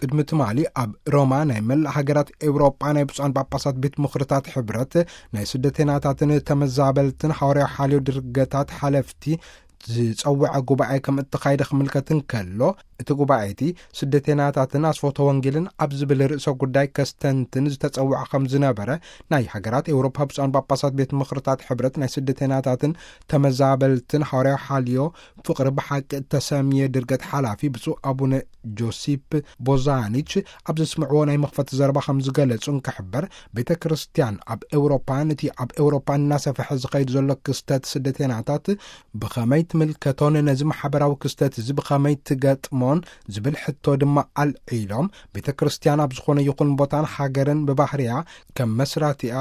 ቅድሚ ትማሊ ኣብ ሮማ ናይ መላእ ሃገራት ኤውሮጳ ናይ ብፁዓን ጳጳሳት ቤት ምኽርታት ሕብረት ናይ ስደተናታትን ተመዛበልትን ሃዋርያዊ ሓልዮ ድርገታት ሓለፍቲ ዝጸውዐ ጉባኤ ከም እተኻየደ ክምልከት እንከሎ፣ እቲ ጉባኤ እቲ ስደተናታትን ኣስፎተ ወንጌልን ኣብ ዝብል ርእሰ ጉዳይ ከስተንትን ዝተጸውዐ ከም ዝነበረ ናይ ሃገራት ኤውሮፓ ብፁዓን ጳጳሳት ቤት ምኽርታት ሕብረት ናይ ስደተናታትን ተመዛበልትን ሃዋርያዊ ሓልዮ ፍቕሪ ብሓቂ እተሰምየ ድርገት ሓላፊ ብፁዕ ኣቡነ ጆሲፕ ቦዛኒች ኣብ ዘስምዕዎ ናይ መኽፈቲ ዘረባ ከም ዝገለጹ እንክሕበር፣ ቤተ ክርስቲያን ኣብ ኤውሮፓ ነቲ ኣብ ኤውሮፓ እናሰፍሐ ዝኸይድ ዘሎ ክስተት ስደተናታት ብኸመይ ትምልከቶን ነዚ ማሕበራዊ ክስተት እዚ ብኸመይ ትገጥሞን ዝብል ሕቶ ድማ ኣልዒሎም፣ ቤተ ክርስቲያን ኣብ ዝኾነ ይኹን ቦታን ሃገርን ብባህርያ ከም መስራቲኣ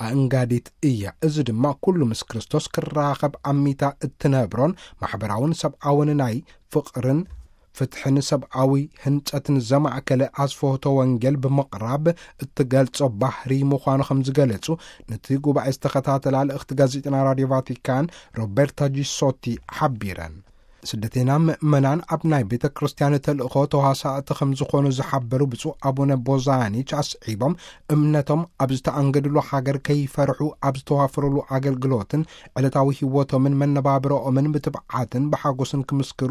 ኣእንጋዲት እያ። እዚ ድማ ኩሉ ምስ ክርስቶስ ክራኸብ ኣሚታ እትነብሮን ማሕበራውን ሰብኣውን ናይ ፍቕርን ፍትሕን ሰብኣዊ ህንጸትን ዘማእከለ ኣስፍሆተ ወንጌል ብምቕራብ እትገልጾ ባህሪ ምዃኑ ከም ዝገለጹ ነቲ ጉባኤ ዝተኸታተላ ልእኽቲ ጋዜጠና ራድዮ ቫቲካን ሮበርታ ጂሶቲ ሓቢረን። ስደተና ምእመናን ኣብ ናይ ቤተ ክርስቲያን ተልእኾ ተዋሳእቲ ከም ዝኾኑ ዝሓበሩ ብፁዕ ኣቡነ ቦዛኒች ኣስዒቦም፣ እምነቶም ኣብ ዝተኣንገድሉ ሃገር ከይፈርሑ ኣብ ዝተዋፈሩሉ ኣገልግሎትን ዕለታዊ ህይወቶምን መነባብሮኦምን ብትብዓትን ብሓጎስን ክምስክሩ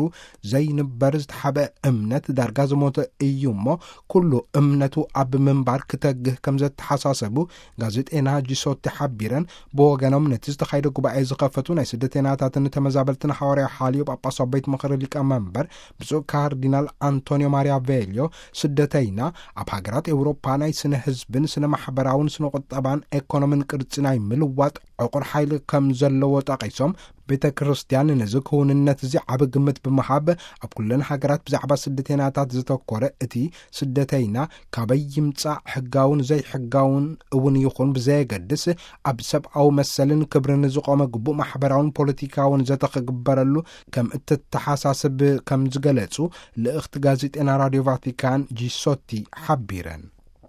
ዘይንበር ዝተሓበ እምነት ዳርጋ ዝሞተ እዩ እሞ፣ ኩሉ እምነቱ ኣብ ምንባር ክተግህ ከም ዘተሓሳሰቡ ጋዜጤና ጂሶቲ ሓቢረን፣ ብወገኖም ነቲ ዝተኻየደ ጉባኤ ዝኸፈቱ ናይ ስደተናታትን ተመዛበልትን ሃዋርያ ሓልዮ ጳጳሳዊ ቤት ምኽሪ ሊቀ መንበር ብፁዕ ካርዲናል ኣንቶኒዮ ማሪያ ቬልዮ፣ ስደተይና ኣብ ሃገራት ኤውሮፓ ናይ ስነ ህዝብን ስነ ማሕበራውን ስነ ቁጠባን ኤኮኖምን ቅርጺ ናይ ምልዋጥ ዕቑር ሓይሊ ከም ዘለዎ ጠቒሶም፣ ቤተ ክርስቲያን ነዚ ክውንነት እዚ ዓቢ ግምት ብምሃብ፣ ኣብ ኩለን ሃገራት ብዛዕባ ስደተናታት ዝተኮረ እቲ ስደተይና ካበይ ይምጻእ፣ ሕጋውን ዘይሕጋውን እውን ይኹን ብዘየገድስ፣ ኣብ ሰብኣዊ መሰልን ክብርን ዝቖመ ግቡእ ማሕበራውን ፖለቲካውን ዘተ ክግበረሉ ከም እትተሓሳስብ ከም ዝገለጹ ልእኽቲ ጋዜጤና ራድዮ ቫቲካን ጂሶቲ ሓቢረን።